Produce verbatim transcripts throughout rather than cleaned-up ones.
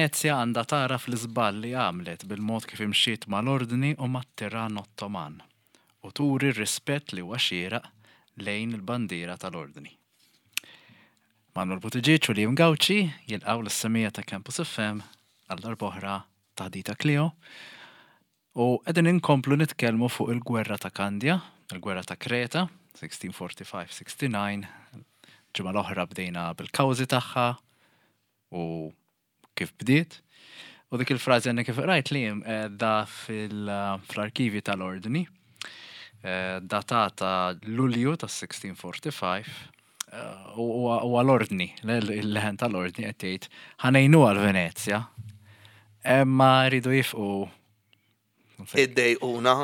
Venezja għandha tagħraf l-iżball li għamlet bil-mod kif imxiet mal-Ordni u mat-tiran Ottoman u turi r-rispett li huwa xieraq lejn il-bandiera tal-Ordni. Manuel Buttigieg u Liam Gauci jilqgħu lis-semmiegħa ta' Campus F M għal darb'oħra Taħdita Klio. U qegħdin inkomplu nitkellmu fuq il-gwerra ta' Kandja, il-gwerra ta' Kreta, elf u sitt mija u erbgħa u ħamsin disgħa u. Ġimgħa l-oħra bdejna bil-kawżi tagħha u kif bdiet. U dik il-frażi għandna kif rajt li da fil-arkivi tal-Ordni, eh, datata Lulju ta' elf u sitt mija u erbgħa u ħamsin, eh, u u għal-Ordni, il-leħen tal-Ordni qed jgħid ħa ngħinu għal Venezja, imma rridu jifqu. Iddejquna.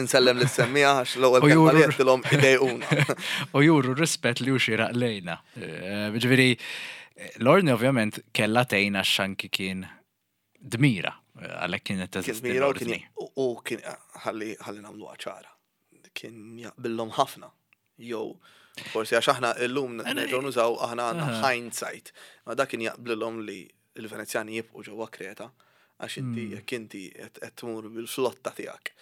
Insellem lis-semmiegħa għax l-ewwel U kelma juru- li għedtilhom "idejquna". U juru rispett li hu xieraq lejna. Eh, Ġifieri, l-Ordni ovvjament kella tgħinha x'anki kien dmira, eh, għalhekk kienet Kien teżisti mira u kien l-Ordni. u- u kien ħalli ħalli nagħmlu ċara. Kien jaqbillhom ħafna. Jew forsi għax aħna illum nerġgħu nużaw, aħna għandna hindsight. Ma dak kien jaqblilhom li l-Venezjani jibqgħu ġewwa Kreta għax inti jekk inti qed qed tmur bil-flotta tiegħek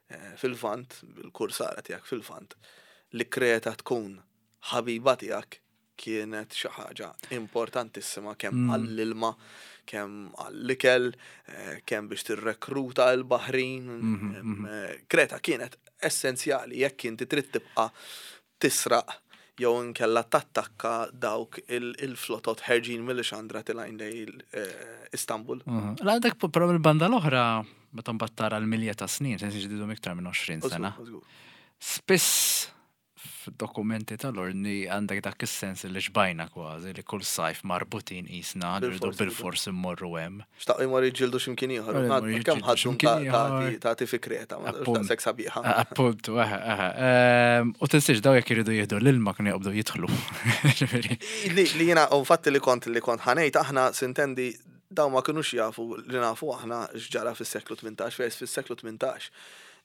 eh, fil-Lvant, bil-kursara tiegħek fil-Lvant, li Kreta tkun ħabiba tiegħek kienet xi ħaġa importantissima kemm għall-ilma, kemm għall-ikel, eh, kemm biex tirrekruta l-baħrin. em, eh, Kreta kienet essenzjali jekk inti trid tibqa' tisraq jew inkella tattakka dawk il- il-flotot ħerġin mill-Xandra tilgħin lejn eh, Istanbul. Mhm. La għandek però mill-banda l-oħra, meta mbagħad tara l-milja ta' snin, sensi ġdidu iktar minn għoxrin sena. Żgur, żgur. Spiss f'dokumenti tal-Ordni għandek dak is-sens li xbajna kważi li kull sajf marbutin qisna rridu Bil-fors, bil-fors immorru hemm. Xtaqu jmorru jiġġieldu x'imkien ieħor. Jmorru Kemm jiġġieldu ħadhom x'imkien ieħor. tagħti fi Kreta, ma Appunt. daqshekk sabiħa. Appuntu, eħe, eħe. Ehm, U tinsiex daw jekk iridu jieħdu l-ilma kienu jaqbdu jidħlu. Ġifieri. Li li jiena, u infatti li kont li kont ħa ngħid, aħna s'intendi daw ma kinux jafu li nafu aħna x'ġara fis-seklu tmintax, fejn fis-seklu tmintax.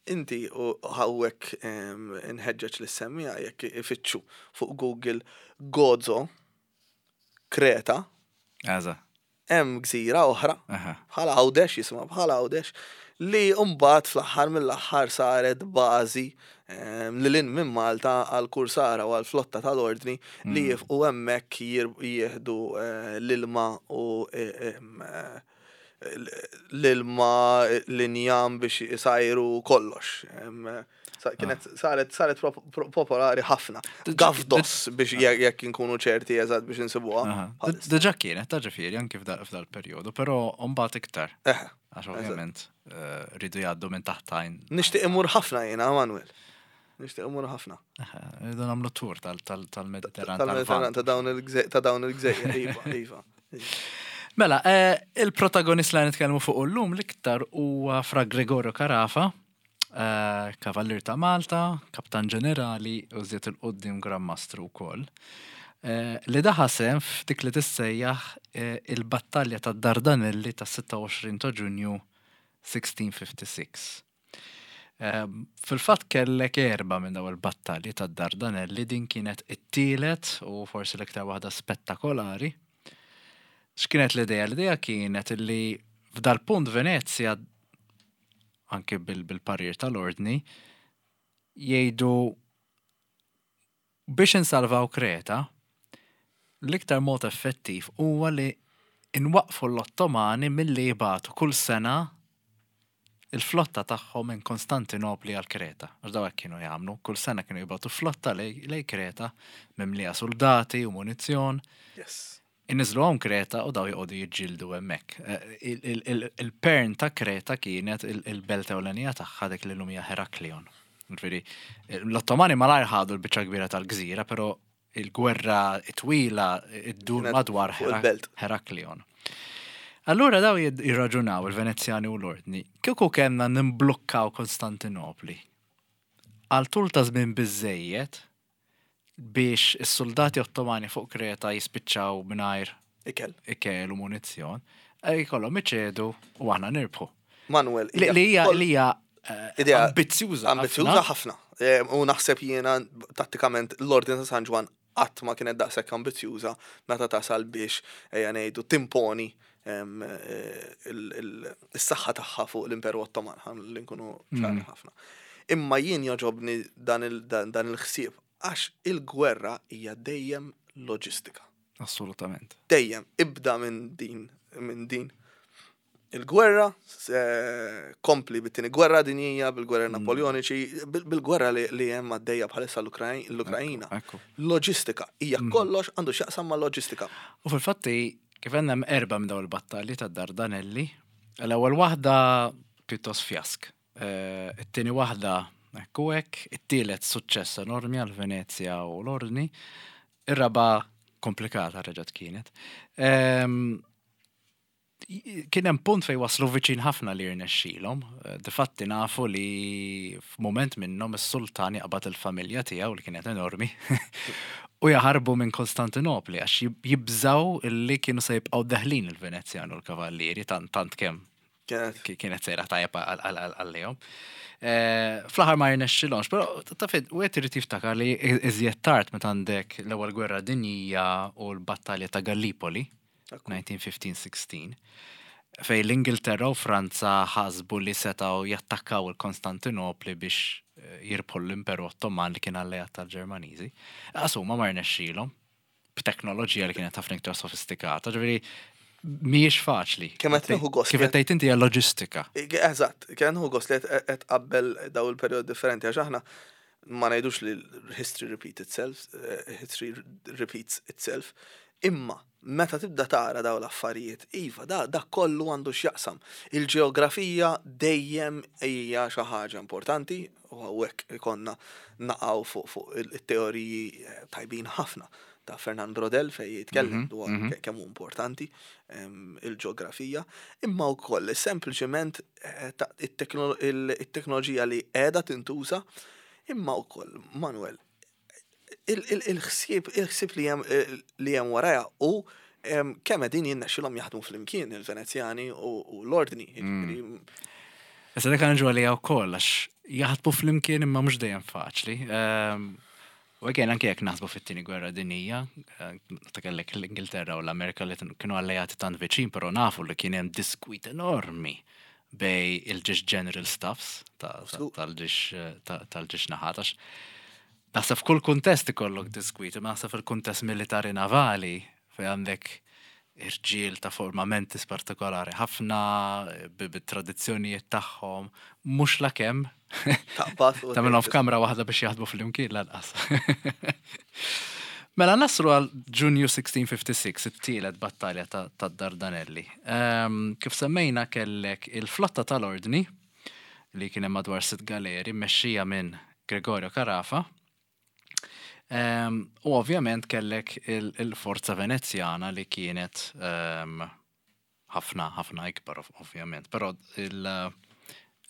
Inti u hawnhekk inħeġġeġ lis-semmiegħa jekk ifittxu fuq Google Gozo, Kreta, Eża. Hemm gżira oħra Aha. bħala Għawdex, jisimha bħala Għawdex, li mbagħad fl-aħħar mill-aħħar saret bażi em, li lin minn Malta għal kursara u għal flotta tal-Ordni li jifqu hemmhekk jir- jieħdu eh, l-ilma u eh, em, eh, l-ilma, l-injam biex isajru kollox. Em, sa- Kienet saret saret pro- pro- popolari ħafna. Gavdos biex jekk jekk inkunu ċerti eżatt biex insibuha. Aha. Diġà kienet, ta' ġifieri, anki f'dal f'dal-perjodu, però mbagħad iktar. Eħe. Għax ovvjament eh, rridu jgħaddu minn taħtajn. Nixtieq imur ħafna jiena, Manuel. Nixtieq imur ħafna. Eħe, rridu nagħmlu tour tal- tal- tal-Mediterran. Tal-Mediterran tal-Lvant. ta' dawn il-gżej- ta' dawn il-gżejjer, iva, iva. Mela, eh, il-protagonist li nitkellmu fuq llum l-iktar huwa Fra Gregorio Carafa, eh, kavallier ta' Malta, kaptan ġenerali u żied il-qoddim Gran Mastru wkoll. Eh, li daħal sehem f'dik li tissejjaħ eh, il-battalja ta' Dardanelli ta' sitta u għoxrin ta' Ġunju elf u sitt mija u ħamsa u sittin. Eh, Fil-fatt kellek erba minn daw il-battalji ta' Dardanelli, din kienet it-tielet u forsi l-iktar waħda spettakolari. X'kienet l-idea? L-idea kienet li f'dal-punt Venezja, anke bil- bil-parir tal-Ordni, jgħidu biex insalvaw Kreta, l-iktar mod effettiv huwa li inwaqfu l-Ottomani milli jibagħtu kull sena il-flotta tagħhom minn Konstantinopli għal Kreta. Għax daw hekk kienu jagħmlu, kull sena kienu jibagħtu flotta lej lej Kreta mimlija soldati u munizzjon. Yes. Inniżlu għom Kreta u daw joqogħdu jiġġieldu hemmhekk. Eh, il- il- il- Il-pern ta' Kreta kienet il- il-belt ewlenija tagħha, dik li llum hija Heraklion. Ġifieri, l-Ottomani malajr ħadu l-biċċa kbira tal-gżira, però il-gwerra twila iddur Kienet madwar fuq Herak- il-belt. Heraklion. Allura daw jid- jirraġunaw il-Venezjani u l-Ordni, kieku kellna nimblukkaw Konstantinopli għal tul ta' żmien biżejjed biex is-soldati Ottomani fuq Kreta jispiċċaw mingħajr Ikel. ikel u munizzjon, eh, jkollhom iċedu u aħna nirbħu. Manuel. Li li hija kol- li hija eh, Idea ambizzjuża. Ambizzjuża ħafna. Eh, U naħseb jiena tattikament l-Ordin ta' San Ġwan Qatt ma kienet daqshekk ambizzjuża meta tasal biex, ejja ngħidu, timponi em, eh, il- il- is-saħħa tagħha fuq l-Imperu Ottoman, ħa li nkunu ċari ħafna. Imma jien jogħġobni dan il- dan dan il-ħsieb għax il-gwerra hija dejjem loġistika. Assolutament. Dejjem ibda minn din minn din il-gwerra, se- kompli bit-tieni gwerra dinjija, bil-gwerra Napoleoniċi, bil- bil-gwerra li, li hemm għaddejja bħalissa l-Ukraj- l-Ukrajina. Ekku. Loġistika, hija kollox għandu x'jaqsam ma' loġistika. U fil-fatti, kif għandna hemm erba' minn dawn il-battalji ta' Dardanelli, l-ewwel waħda pjuttost fjask. Eh, It-tieni waħda ekku hekk, it-tielet suċċess enormi għal Venezja u l-Ordni, ir-raba komplikata reġgħet kienet. Ehm, Kien hemm punt fejn waslu viċin ħafna li jirnexxilhom. Eh, Difatti nafu li f'mument minnhom is-sultan jaqbad il-familja tiegħu li kienet enormi u jaħarbu minn Konstantinopli għax jib- jibżaw illi kienu se jibqgħu deħlin il-Venezjan u l-Kavallieri tant tant kemm Kienet ki- kienet sejra tajjeb għalihom. Eh, Fl-aħħar ma jirnexxilhomx, però taf wieħed irid jiftakar li iżjed tard meta għandek l-ewwel gwerra dinjija u l-battalja ta' Gallipoli, elf disa' mija u ħmistax sittax, fej l-Ingilterra u Franza ħasbu li setaw jattakkaw il-Konstantinopli biex eh, jirbħu l-Imperu Ottoman li kien alleat tal-Ġermaniżi. Asuma ma rnexxilhom b'teknoloġija li kienet ħafna iktar sofistikata, ġifieri mhijiex faċli. Kemm qed nieħu gost Kif qed tgħid inti hija loġistika. Eżatt, kien hu gost li qed qabbel daw il-perjod differenti għax aħna ma ngħidux li history repeat itself, eh, history repeats itself, imma meta tibda tara daw l-affarijiet, iva, da, da kollu għandu x'jaqsam. Il-ġeografija dejjem hija xi ħaġa importanti u hawnhekk ikonna naqgħu fuq fuq il-teoriji eh, tajbin ħafna ta' Fernand Braudel fej jitkellem dwar ke- kemm hu importanti em, il-ġeografija, imma wkoll sempliċement eh, ta' it-teknolo- il- it-teknoloġija li qiegħda tintuża, imma wkoll, Manuel, il- il- il-ħsieb il-ħsieb li hemm li hemm warajha u em, kemm qegħdin jinnexxilhom jaħdmu flimkien il-Venezjani u u l-Ordni. Jiġifieri, Issa dak għanġu għalija wkoll għax jaħdmu flimkien imma mhux dejjem faċli. Ehm, U again, anke jekk naħsbu fit-tieni gwerra dinjija, eh, ta' kellek l-Ingilterra u l-Amerika li kienu alleati tant viċin, però nafu li kien hemm diskwit enormi bejn il-żewġ general staffs ta- ta- Żgur. tal-żewġ eh, ta- tal-żewġ naħat. Għax naħseb f'kull kuntest ikollok diskwit, imma naħseb fil-kuntest militari navali fej għandek irġiel ta' forma mentis partikolari ħafna bi- bit-tradizzjonijiet tagħhom, mhux la kemm Taqbad u tagħmilhom f'kamra waħda biex jaħdmu flimkien lanqas. Mela naslu għal Ġunju elf sitt mija u sitta u ħamsin, it-tielet battalja ta' ta' Dardanelli. Ehm, kif semmejna, kellek il-flotta tal-Ordni li kien hemm madwar sitt galeri mmexxija minn Gregorio Carafa. Ehm, u ovvjament kellek il- il-forza Venezjana li kienet ehm, ħafna ħafna ikbar ov- ovvjament, però il-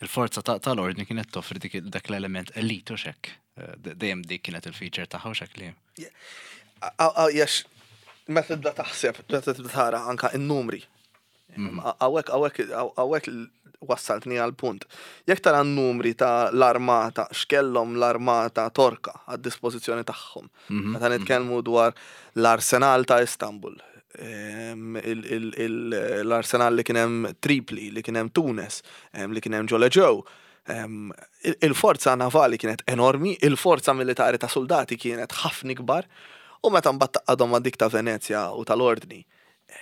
il-forza ta- tal-Ordni kienet toffri dik dak l-element elite u xek. Eh, de- Dejjem dik kienet il-feature tagħha u xek li. Jax, meta tibda taħseb, meta tibda tara anka n-numri. Hawnhekk, hawnhekk, hawnhekk wassaltni għal punt. Jekk tara n-numri ta' l-armata, x'kellhom l-armata Torka għad dispożizzjoni tagħhom. Meta nitkellmu dwar l-arsenal ta' Istanbul, em, il- il- il- l-arsenal li kien hemm Tripli, li kien hemm Tunes, em, li kien hemm Ġoleġew, em, il- il-forza navali kienet enormi, il-forza militari ta' soldati kienet ħafna ikbar, u meta mbagħad tgħaqqadhom ma' dik ta' Venezja u tal-Ordni,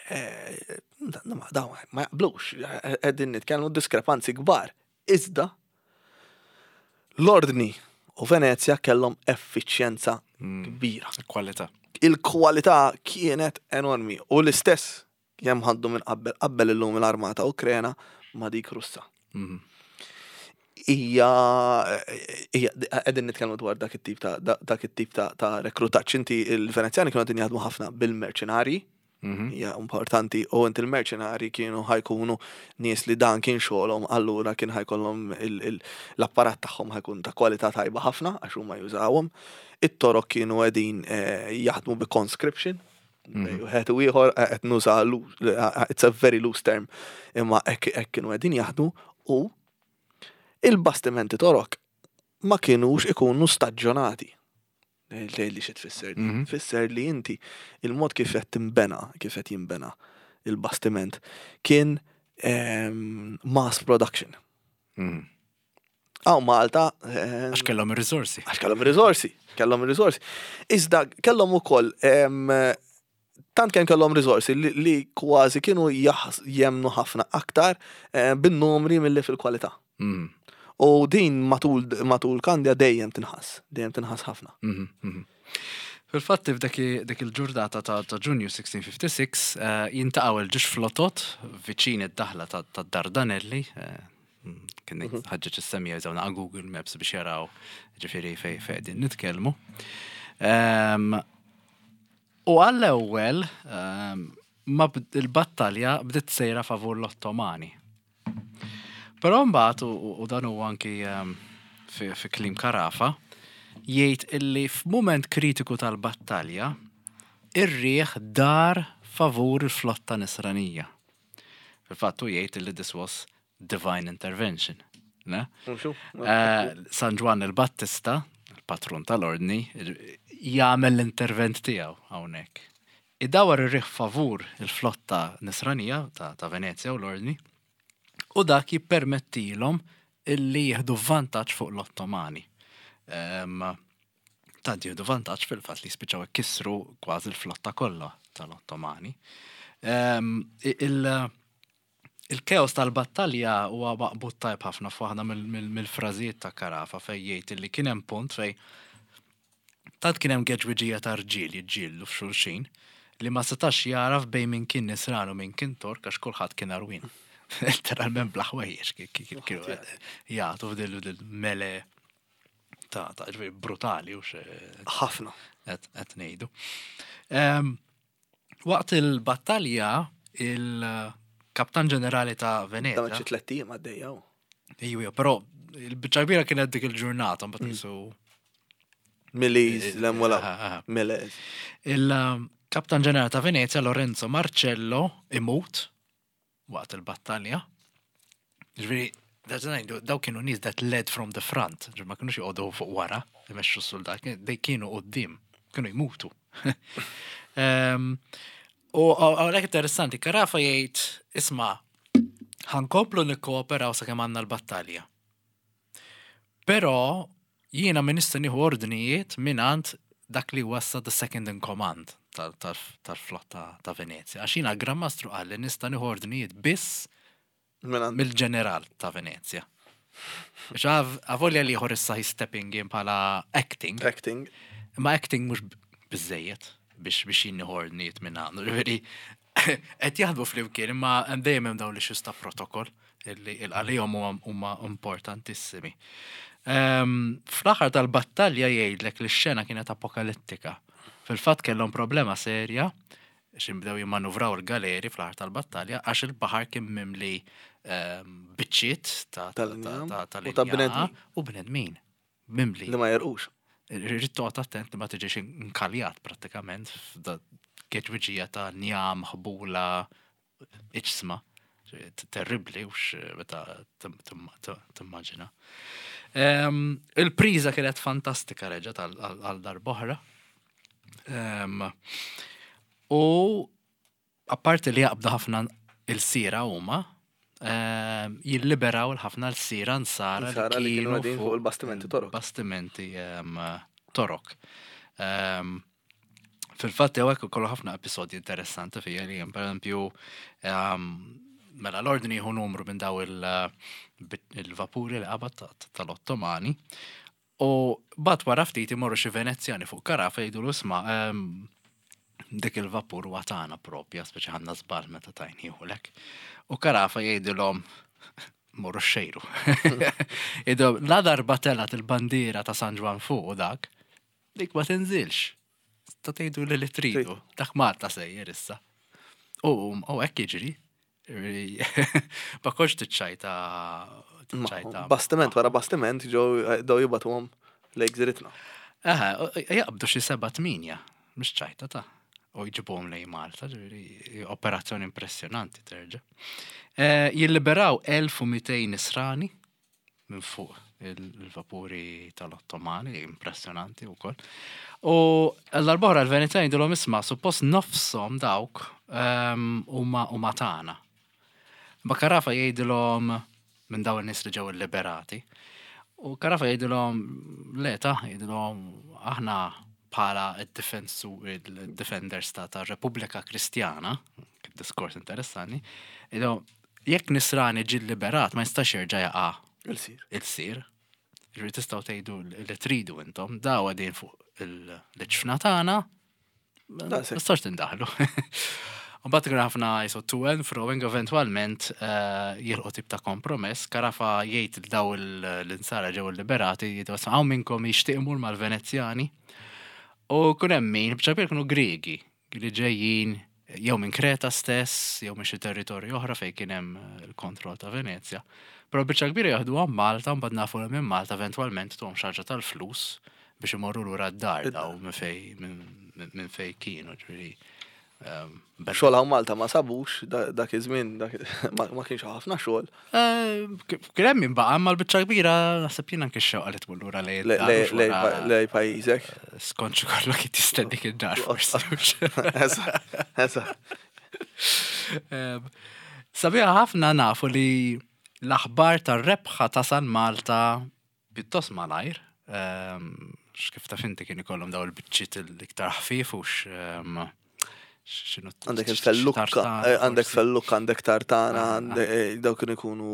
eh, ma dawn ma jaqblux, qegħdin nitkellmu diskrepanzi kbar. Iżda l-Ordni u Venezja kellhom effiċjenza kbira. Kwalità. Il-kwalità kienet enormi u l-istess kemm ħaddu minn qabel qabel illum l-armata Ukrena ma' dik Russa. Mhm. Hija hija qegħdin nitkellmu dwar dak it-tip ta' dak it-tip ta' ta' rekrutaġġ. Inti il-Venezjani kienu qegħdin jaħdmu ħafna bil-merċenari, Mhm. hija importanti, u inti il-merċenari kienu ħa jkunu nies li dan kien xogħolhom, allura kien ħa jkollhom il- il- l-apparat tagħhom ħa jkun ta' kwalità tajba ħafna għax huma jużawhom. It-Torok kienu qegħdin eh, jaħdmu bi conscription. Wieħed u ieħor eh, qed nuża loo- eh, it's a very loose term, imma hekk hekk kienu qegħdin jaħdmu u il-bastimenti Torok ma kienux ikunu staġġjonati. Tgħid li xi tfisser? Tfisser li inti il-mod kif qed tinbena, kif qed jinbena il-bastiment kien ehm, mass production. Mhm. Hawn Malta ehm, Għax kellhom ir-riżorsi. Għax kellhom riżorsi, kellhom riżorsi. Iżda kellhom ukoll em, tant kemm kellhom riżorsi li, li kważi kienu jaħs- jemnu ħafna aktar eh, bin-numri milli fil-kwalità. Mhm. U din matul matul Kandja dejjem tinħass, dejjem tinħass ħafna. Mhm, mhm. Fil-fatt f'dak dik il-ġurnata ta' ta' Ġunju sittax sittax eh, jiltaqgħu il-ġiex flotot viċin id-daħla ta' ta' Dardanelli. eh, Kien ħaġġeġ is-semija jużaw Google Maps biex jaraw ġifieri fej fej din nitkellmu. Ehm, U għall-ewwel ehm, ma bd- il-battalja bdiet sejra favur l-Ottomani. Però mbagħad u u dan huwa anki ehm, fi, fi kliem Carafa, jgħid illi f'mument kritiku tal-battalja ir-rieħ dar favur il-flotta nisranija. Fil-fatt hu jgħid illi this was divine intervention. Ne? Eh, San Ġwann il-Battista, il-patrun tal-ordni, jagħmel l-intervent tiegħu hawnhekk. Idawar ir-riħ favur il-flotta nisranija ta', ta' Venezja u l-ordni, u dak jippermettilhom illi jieħdu vantaġġ fuq l-Ottomani. Em, tant jieħdu vantaġġ fil-fatt li spiċċaw ikissru kważi l-flotta kollha tal-Ottomani. Em, il- Il-keos tal-battalja huwa maqbud tajb ħafna f'waħda mill- mill- mill-frażijiet ta' Carafa, fej jgħid li kien hemm punt fej tant kien hemm geġwiġija ta' rġiel jiġġieldu f'xulxin li ma setax jaraf bejn min kien nisran u min kien Tork, għax kulħadd kien għarwien. Literalment bla ħwejjeġ kienu jagħtu f'dil mele ta' ta' ġifieri brutali u xe Ħafna. qed qed ngħidu. Em, Waqt il-battalja, il-kaptan ġenerali ta' Da Venezia. xi tlett ijiem għaddejja. Ejju, ejju, però il-biċċa kbira kienet dik il-ġurnata, mbagħad jisu. Miliz, l-emwela. Aha, aha. Miliz. Il-kaptan ġenerali ta' Venezia, Lorenzo Marcello, imut waqt il-battalja. Ġifieri, ngħidu, daw kienu nies that led from the front, ġifieri ma kienux joqogħdu fuq wara, imexxu s-soldat, dej kienu quddiem, kienu jmutu. Em, U għalhekk interessanti, Carafa jgħid, "Isma', ħa nkomplu nikkooperaw sakemm għandna l-battalja. Però jiena min nista' nieħu ordnijiet mingħand dak li wassa the second in command tal- tal- tal-flotta ta' Venezia. Għax jiena Gran Mastru qal li nista' nieħu ordnijiet biss Minn mill-ġeneral ta' Venezia." Biex avolja li ieħor issa he's stepping in bħala acting, acting. ma acting mhux biżejjed biex biex jien nieħu ordnijiet minn għandu. Ġifieri qed jaħdmu flimkien, imma hemm dejjem hemm dawn l-issues ta' protokoll illi għalihom huma huma importantissimi. Ehm, Fl-aħħar tal-battalja jgħidlek li x-xena kienet apokalittika. Fil-fatt kellhom problema serja x'inbdew jimmanuvraw il-galeri fl-aħħar tal-battalja, għax il-baħar kien mimli ehm, biċċiet ta' ta' Tal-injam ta' ta' u ta' tal-injam bnedmin. u bnedmin. Mimli. Li ma jerqux. Irrid toqgħod attent li ma tiġix inkaljat prattikament f'da geġwiġija ta' njam, ħbula, iġsma. Terribli, ux meta tim- tim- tim- timmaġina. Em, Il-priża kienet fantastika reġgħet għal- għal għal darb'oħra. Em, U apparti li jaqbdu ħafna ilsiera huma, em, jilliberaw il-ħafna lsira nsara Nsara li kienu qegħdin fuq il-bastimenti Torok. Bastimenti em, Torok. Em, Fil-fatt hawnhekk ukoll ħafna episodji interessanti fija li per eżempju, em, mela l-ordni jieħu numru minn daw il- il-vapuri li qabad ta- ta- tal-Ottomani. U bat wara ftit imorru xi Venezjani fuq Carafa jgħidu, "Isma', em, dik il-vapur huwa tagħna propja, speċi ħadna żball meta tajniehulek." U Carafa jgħidilhom, "Morru xejru." Jgħidilhom, "La darba telgħet il-bandiera ta' San Ġwann fuq u dak, dik ma tinżilx. Ta' tgħidu li li tridu, dak Malta sejjer issa." U u hekk jiġri. Ma kontx tiċċajta tiċċajta. Bastiment wara bastiment ġew daw jibagħtuhom lejn gżiritna. Aha, jaqbdu xi seba' tminja, mhux ċajta ta' u jġibuhom lejn Malta, ġifieri operazzjoni impressjonanti terġa'. Eh, Jilliberaw elf u mitejn nisrani minn fuq Il-vapuri tal-Ottomani, impressjonanti u koll. U l-arbora l-Venezjani jgħidulhom, "Isma', suppost nofshom dawk ehm, huma huma tagħna." Ma Carafa jgħidilhom minn dawn in-nies li ġew liberati. U Carafa jgħidilhom, "Le ta," jgħidilhom, "aħna bħala id-difensu il-defenders ta' ta' Repubblika Kristjana," kif diskors interessanti, jgħidilhom, "jekk nisrani ġi liberat ma jistax jerġa' jaqa' Il-sir. Il-sir. Ġifieri tistgħu tgħidu li tridu intom, daw qegħdin fuq il-ġfna tagħna, ma Daqshekk. tistax tindaħlu." U bat kien ħafna jisu to and froing, eventualment eh, jilqu tip ta' kompromess. Carafa jgħid il daw l-insara ġew liberati, jgħidu, "Hawn minnkom jixtieq imur mal-Venezjani?" U kun hemm min, b'ċapir kienu Griegi, li ġejjin jew minn Kreta stess, jew minn xi territorju oħra fejn kien hemm eh, il-kontroll ta' Venezja. Però biċċa kbira jaħdu għam Malta, mbagħad nafu li minn Malta eventwalment tuhom xi ħaġa tal-flus biex imorru lura d-dar daw minn fej minn minn fej kienu, ġifieri. ehm, bel- Xogħol hawn Malta ma sabux da- dak iż-żmien, dak- ma ma kienx ħafna xogħol. Eh, Kien hemm min baqa', ma l-biċċa kbira naħseb jien anke x-xewqa li tmur lura lejn Le- id-dar, le- mhux le- wara- Lej pajjiżek. Skont xi kollok tistennik id-dar forsi. Eżatt, eżatt. Em, Sabiħa ħafna nafu li l-aħbar tar-rebħa tasal Malta pjuttost malajr. Em, X'kif taf inti kien ikollhom daw il-biċċiet l-iktar ħfif u x- em, x'inhu Għandek il-fellukka, tartana, eh, għandek forsi. fellukka, għandek tartana, Aha, għandek- eh, daw kienu jkunu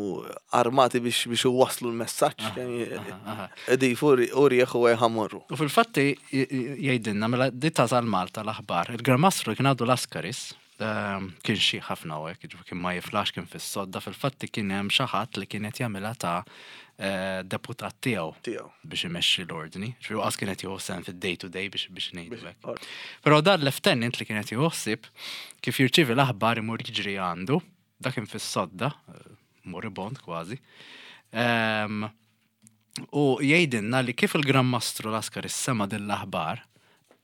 armati biex biex waslu l-messaġġ. Aha, aha. Edi u rieħ u ħamorru. U fil-fatti jgħidilna, mela di tasal Malta l-aħbar, il-Gran Mastru kien għadu Laskaris, ehm, kien xi ħafna u hekk, ġifieri kien ma jiflax, kien fis-sodda, fil-fatti kien hemm xi ħadd li kienet jagħmilha ta' eh, deputat tiegħu Tiegħu. biex imexxi l-ordni. Ġifieri qas kienet jieħu sehem fid-day to day biex biex ngħidu hekk. Or- Però dan l-lieutenant li kienet jieħu ħsieb kif jirċievi l-aħbar imur jiġri għandu, dak kien fis-sodda, eh, moribond kważi. Ehm, U jgħidilna li kif il-Gran Mastru Laskaris sema din l-aħbar,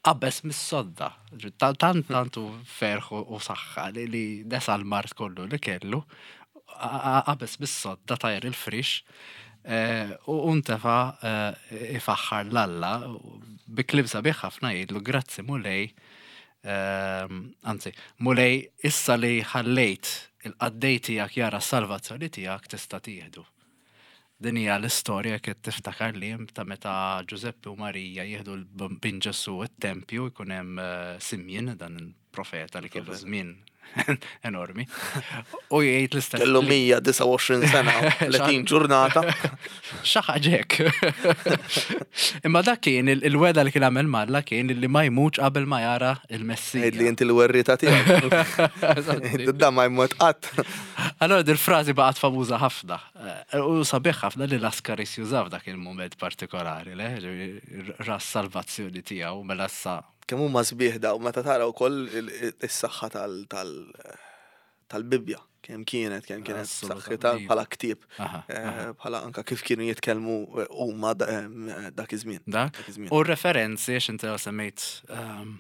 qabeż mis-sodda. Ġi- ta- Tant tantu ferħ u u saħħa li li nesa l-mard kollu li kellu, a- a- qabeż mis-sodda tajr il-frix, eh, u untefa eh, ifaħħar l-Alla bi kliem sabiħ ħafna, jgħidlu, "Grazzi Mulej, ehm, anzi, Mulej, issa li ħallejt il-qaddej tiegħek jara s-salvazzjoni tiegħek, tista' tieħdu." Din hija l-istorja kif tiftakar li hemm ta' meta Giuseppe u Marija jieħdu l-bin Ġesu it-tempju, jkun hemm eh, Simjen, dan il-profeta li kellu żmien enormi. U jgħid l-istess. Kellu mija u disgħa u għoxrin sena, tletin ġurnata. Xaħġek. Imma dak kien il- il-weda li kien għamel m'Alla kien li ma jmutx qabel ma jara il-Messija. Għid li inti l-werrita tiegħek. Da ma jmut qatt. Allora dil-frażi baqgħet famuża ħafna. Eh, U sabiħ ħafna li Laskaris jużaw dak il-moment partikolari, le? Ġifieri, ras salvazzjoni tiegħu mela issa. Kemm huma sbieħ daw meta tara wkoll il- il- is-saħħa tal- tal- tal-Bibja. Kemm kienet, kemm kienet Assolutament. saħħitha bħala ktieb, Aha, eh, bħala anka kif kienu jitkellmu eh, huma da- em, dak iż-żmien. Dak. Dak iż-żmien. U referenzi, għax inti semmejt um,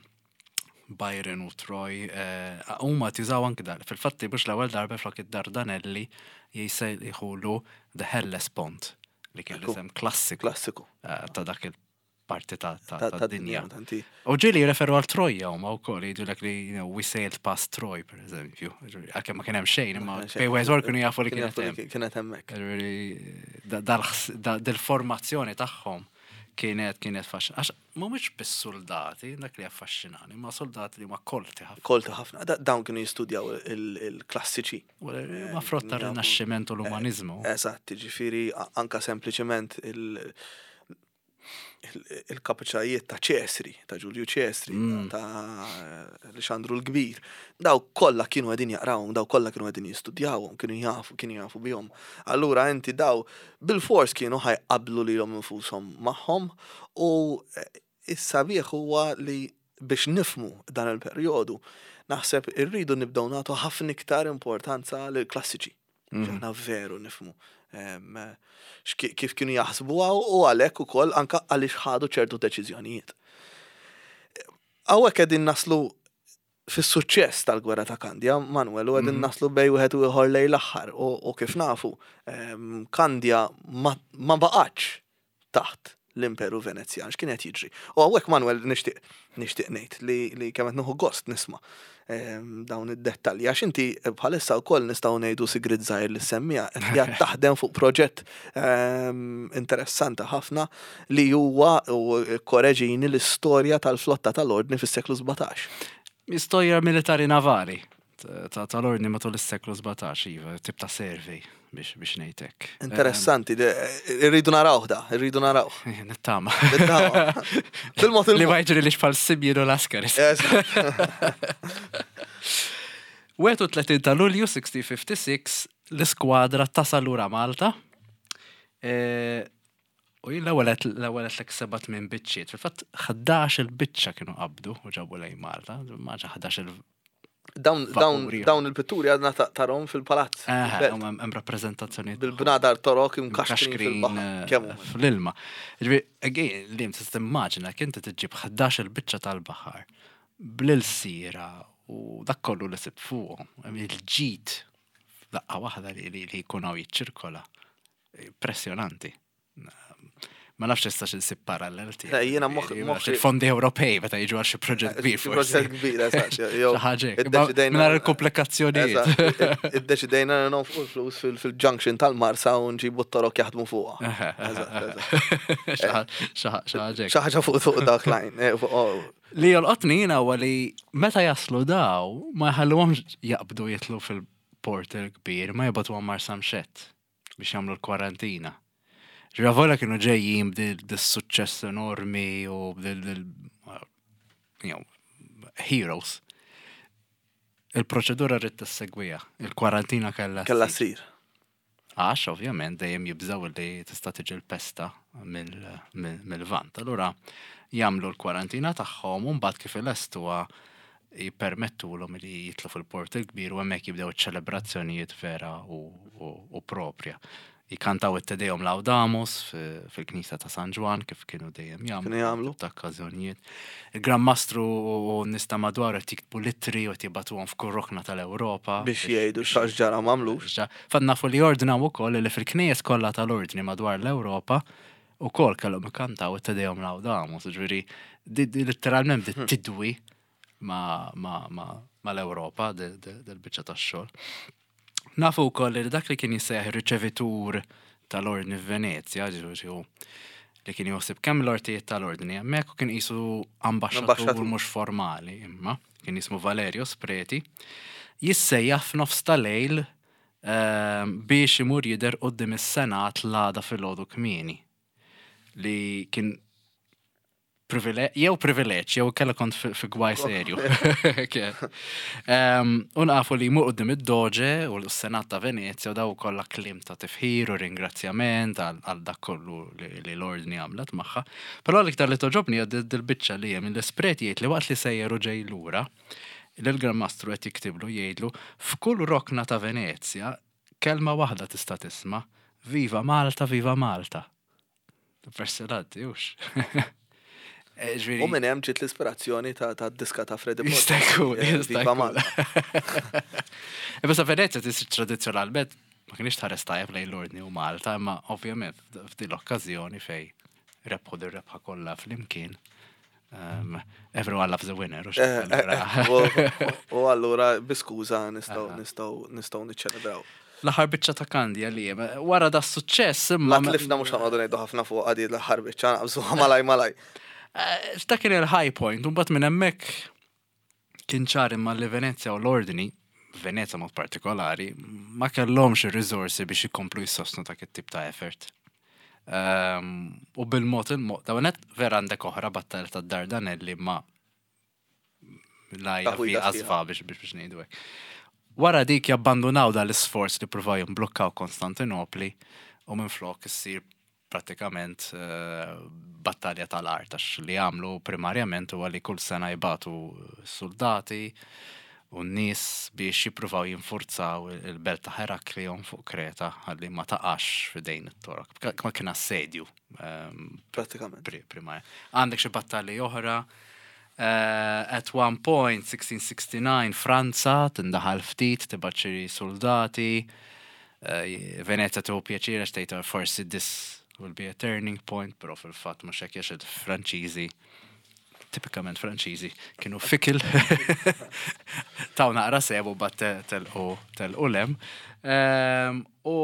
Byron u Troy, eh, huma tużaw anki dar. Fil-fatti biex l-ewwel darba flok id-Dardanelli jisejħulu The Hellespont, li kien Ekku. l-isem klassiku Klassiku. eh, ta' dak il-parti ta' ta' Ta' ta' ta' dinja. dinja. Tanti. U ġieli referu għal Troja huma wkoll, jgħidulek li you know, "we sailed past Troy", per eżempju. Għalkemm ma kien hemm xejn, imma bejn wieħed kienu jafu li Kienu kienet jafu li hemm. kienet hemmhekk. Ġifieri, da- dal-ħs- da- Dil-formazzjoni tagħhom kienet kienet faxxin. Għax mhumiex biss soldati, dak li affaxxinani, ma soldati li ma kolti ħafna. Kolta ħafna. Da- Dawn kienu jistudjaw il- il-klassiċi. Ma frott tar-Rinaxximent u l-umanizmu. Eżatt, ġifieri a- anka sempliċement il- il- il-kapaċitajiet ta' Ċesri, ta' Ġulju Ċesri, Mm. ta' Alexandru l-Kbir. Daw kollha kienu qegħdin jaqrawhom, daw kollha kienu qegħdin jistudjawhom, kienu jafu, kienu jafu bihom. Allura inti daw bil-fors kienu ħajqablu lilhom infushom magħhom u eh, is-sabiħ huwa li biex nifmu dan il-perjodu, naħseb irridu nibdew nagħtu ħafna iktar importanza lill klassiċi. Mhm. Aħna veru nifmu em, x'ki- kif kienu jaħsbuha u għalhekk ukoll anka għaliex ħadu ċertu deċiżjonijiet. Hawnhekk qegħdin naslu Fis-suċċess tal-gwerra ta' Kandja, Manuel, u qegħdin naslu bejn wieħed u ieħor lejn l-aħħar u u kif nafu, em, Kandja ma, ma baqgħetx taħt l-Imperu Venezjan, x'kien qed jiġri. U hawnhekk, Manuel, nixtieq nixtieq ngħid li li kemm qed nieħu gost nisma' em, dawn id-dettalji, għax inti bħalissa wkoll nistgħu ngħidu sigrit żgħir li semmija qed qiegħed taħdem fuq proġett em, interessanti ħafna li huwa, u korreġini, l-istorja tal-flotta tal-Ordni fis-seklu sbatax. Istorja militari navali ta' tal-Ordni matul is-seklu sbatax, iva, tip ta' survey biex biex ngħidlek. Interessanti, de- irridu narawh da, irridu narawh. Eh, Nittama. Nittama. Bil-mod Li il-mod. ma jiġri li xpal Simeon u Lascaris. Eżatt. wieħed u tletin ta' Lulju elf u sitt mija u ħamsa u sittin l-iskwadra tasal lura Malta. E, U jien l-ewwel l-ewwel għedtlek seba' tmien biċċiet. Fil-fatt ħdax il-biċċa kienu qabdu u ġabu lejn Malta. Maġa ħdax il Dawn dawn Vapuri. dawn il-pitturi għadna ta- tarahom fil-palazz. Eh, fil-belt. hemm rappreżentazzjonijiet Bil-bnadar Torok imkaxkrin imkaxkrin fil-baħar. eh, Kemm huma? fl-ilma. Ġifieri, again, li tista' timmaġina kien inti tiġġib ħdax il-biċċa tal-baħar bl-ilsira u dak kollu li sib fuqhom, il-ġid daqqa waħda li li li jkun hawn jiċċirkola. Impressjonanti. Ma nafx tistax insib parallel tiegħek. Le, jiena moħ- moħħi- Il-fondi Ewropej meta jiġu għal xi proġett kbir Xi forsi. proġett kbir, eżatt. Jew Xi ħaġa hekk. iddeċidejna- Mingħajr il-komplikazzjonijiet. Eżatt, id- Iddeċidejna li nonfqu l-flus fil- fil-junction tal-Marsa u nġibu t-Torok jaħdmu fuqha. Eżatt, eżatt. Xi ħaġa hekk. Xi ħaġa fuq fuq dak line. eh, fuq- oh, Li jolqotni jiena huwa li meta jaslu daw ma jħalluhomx jaqbdu jitlu fil-port il-kbir, ma jibagħtuhom Marsamxett biex jagħmlu l-kwarantina. Ġifieri kienu ġejjin b'dil suċċess enormi u b'dil you know, heroes. Il-proċedura rrid tissegwiha, il-kwarantina kellha Kella ssir. ssir. Għax, ovvjament, dejjem jibżaw li tista' tiġi l-pesta mill- mill- mill-Lvant. Allura, jagħmlu l-kwarantina tagħhom u mbagħad kif ilestuha jippermettulhom li jitlu fil-port il-kbir u hemmhekk jibdew iċ-ċelebrazzjonijiet vera u, u, u propja. Jikantaw it-Te Deum Laudamus fi- fil-Knisja ta' San Ġwann kif kienu dejjem jagħmlu. Kienu jagħmlu. Ta' okkażjonijiet. Il-Gran Mastru u n-nies ta' madwar qed jiktbu littri u qed jibagħtuhom f'kull rokna tal-Ewropa. Biex jgħidu x'għax ġara m'għamlux. Fatt nafu li ordnaw ukoll li fil-knejjes kollha tal-Ordni madwar l-Ewropa ukoll kellhom ikantaw it-Te Deum Laudamus, ġifieri di di literalment bdiet tidwi ma, ma, ma, ma l-Ewropa del-biċċa tax-xogħol. Nafu wkoll li dak li kien jissejjaħ ir-riċevitur tal-Ordni f'Venezja, ġifieri hu li kien joħsib kemm l-ortijiet tal-Ordni hemmhekk u kien qisu ambaxxatur Ambaxxatur. mhux formali imma kien jismu Valerio Spreti, jissejjaħ f'nofs tal-lejl ehm, biex imur jidher quddiem is-Senat l-għada filgħodu kmieni li kien privile- jew privileġġ, jew kella kont fi fi gwaj serju. Kien. Ehm, U nafu li jmur quddiem id-Doġe u l-Senat ta' Venezja u daw kollha kliem ta' tifħir u ringrazzjament għal għal dak kollu li li l-Ordni għamlet magħha. Però l-iktar li togħġobni hija dil-biċċa li hemm l-Spreti jgħid li waqt li sejjer u ġej lura, l-Gran Mastru qed jiktiblu, jgħidlu: "F'kull rokna ta' Venezja kelma waħda tista' tisma': Viva Malta, viva Malta." Impressionanti, hux. Eh, ġifieri- U minn hemm ġiet l-ispirazzjoni ta' ta' diska ta' Freddie Borg. Jista' jkun, Eh, jista' Viva jkun. Malta. Imma sa Venezja tisir tradizzjonalment ma kienx tħares tajjeb lejn l-Ordni u Malta, imma ovvjament f'din l-okkażjoni fej rebħu dir-rebħa kollha flimkien. Um, everyone loves a winner. u Eh, eh, allura- eh, u- U allura bi skuża nistgħu Aha. nistgħu nistgħu niċċelebraw. L-aħħar biċċa ta' Kandja li hemm, wara da suċċess imma. La tlifna, mhux ħa noqogħdu ngħidu ħafna fuq għadi l-aħħar biċċa, naqbżuha malaj malaj. Eh, Dak kien il-high point, u mbagħad minn hemmhekk kien ċar imma li Venezja u l-Ordni, Venezja mod partikolari, ma kellhomx ir-riżorsi biex ikomplu jissostnu dak it-tip ta' effort. Um, u bil-mod il-mod, dawn vera għandek oħra battalja ta' Dardanelli ma la Taħwida fi sħiħa. qasfa biex biex biex ngħidu hekk. Wara dik jabbandunaw dal-isforz li provaw jimblukkaw Konstantinopli u minflok issir prattikament eh, battalja tal-art, għax li għamlu primarjament huwa li kull sena jibagħtu soldati u n-nies biex jippruvaw jinfurzaw il-belt ta' Heraklion fuq Kreta għalli ma taqax f'idejn it-Torok. Ma kien assedju ehm, Pratikament. pri- primarja. Għandek xi battalji oħra, Uh, at one point, sixteen sixty-nine, Franza tindaħal ftit, tibgħat xi soldati, uh, Venezia tieħu pjaċir għax tgħid forsi this will be a turning point, però fil-fatt mhux hekk, għax il-Franċiżi, tipikament Franċiżi, kienu fickle. Taw naqra sebu bat telqu telqu lem. Um, u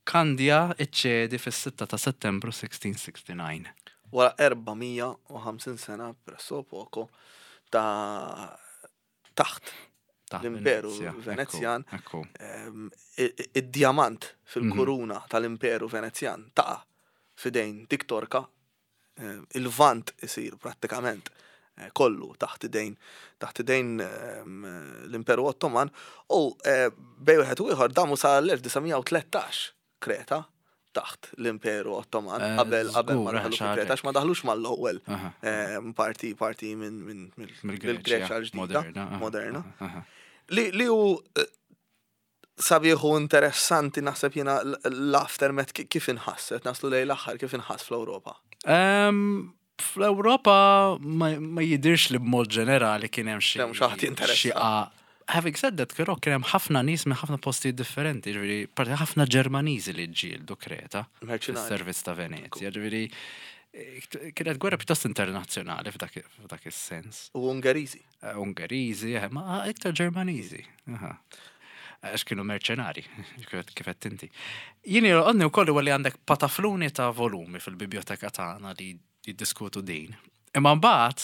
Kandja iċċedi fis-sitta ta' Settembru sixteen sixty-nine. Wara erba' mija u ħamsin sena presso poco ta' taħt Ta' l-Imperu Venezja, Venezjan. Ekku, ekku. em, i- i- id-diamant fil-kuruna tal-Imperu Venezjan taqa' f'idejn dik Torka, em, il-Lvant isir prattikament eh, kollu taħt idejn taħt idejn em, l-Imperu Ottoman u eh, bejn wieħed u ieħor damu sa l-elf disa' mija u tlettax Kreta taħt l-Imperu Ottoman Eh, qabel qabel ma żgur, daħlu xi ħaġa fil-Kreta, għax ma daħlux mal-ewwel Aha. em, parti parti minn minn Mill-Greċja mill-Greċja l-ġdida moderna. Aha, moderna. aha, aha. Li li hu eh, sabiħ u interessanti, naħseb jiena, l- l-aftermath ki- kif inħasset, naslu lejn l-aħħar, kif inħass fl-Ewropa? Em, Fl-Ewropa ma ma jidirx li b'mod ġenerali kien hemm xi Hemm xi ħadd jinteressa. xi a- Having said that, però kien hemm ħafna nies minn ħafna postijiet differenti, ġifieri parti ħafna Ġermaniżi li ġġieldu Kreta Merċinari. fis-servizz ta' Venezia, ġifieri eh, kienet gwerra pjuttost internazzjonali f'dak f'dak is-sens. U Ungeriżi. Eh, Ungeriżi, eh, ma iktar Ġermaniżi. Aha. Għax kienu merċenari, kif kif qed inti. Jien għodni wkoll huwa li għandek patafluni ta' volumi fil-biblioteka tagħna li jiddiskutu din. Imma mbagħad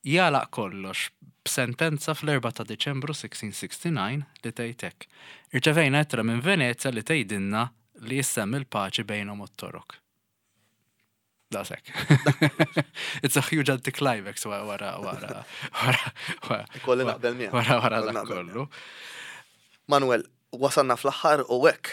jagħlaq kollox b'sentenza fl-erbgħa ta' Diċembru sixteen sixty-nine li tgħid hekk: "Irċevejna ittra minn Venezia li tgħidilna li jissem il-paċi bejnhom u t-Torok." Daqshekk. It's a huge anticlimax wara wara wara wara wara Ikolli naqbel miegħek. wara wara Ikolli dak naqbel. kollu. Manuel, wasalna fl-aħħar u hekk,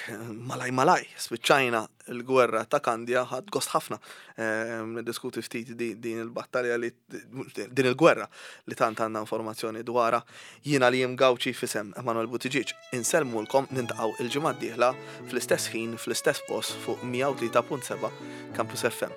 malaj malaj, spiċċajna l-gwerra ta' Kandja. Ħadt gost ħafna ehm, niddiskuti ftit di- din il-battalja li din il-gwerra li tant għandna informazzjoni dwarha. Jiena li Gawċi, f'isem Emanuel Buttigieg, insellmulkom, niltaqgħu il-ġimgħa d-dieħla fl-istess ħin, fl-istess post fuq mija u tlieta punt seba' Campus F M.